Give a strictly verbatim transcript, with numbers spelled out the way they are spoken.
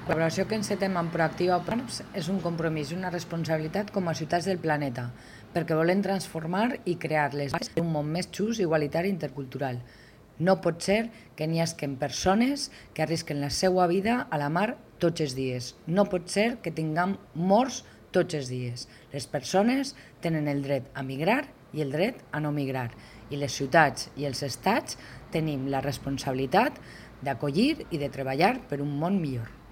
La col·laboració que encetem amb Proactiva Open és un compromís i una responsabilitat com a ciutats del planeta, perquè volem transformar i crear les bases d'un món més just, igualitari i intercultural. No pot ser que n'hi hagin persones que arrisquen la seva vida a la mar tots els dies. No pot ser que tinguem morts tots els dies. Les persones tenen el dret a migrar i el dret a no migrar. I les ciutats i els estats tenim la responsabilitat d'acollir i de treballar per un món millor.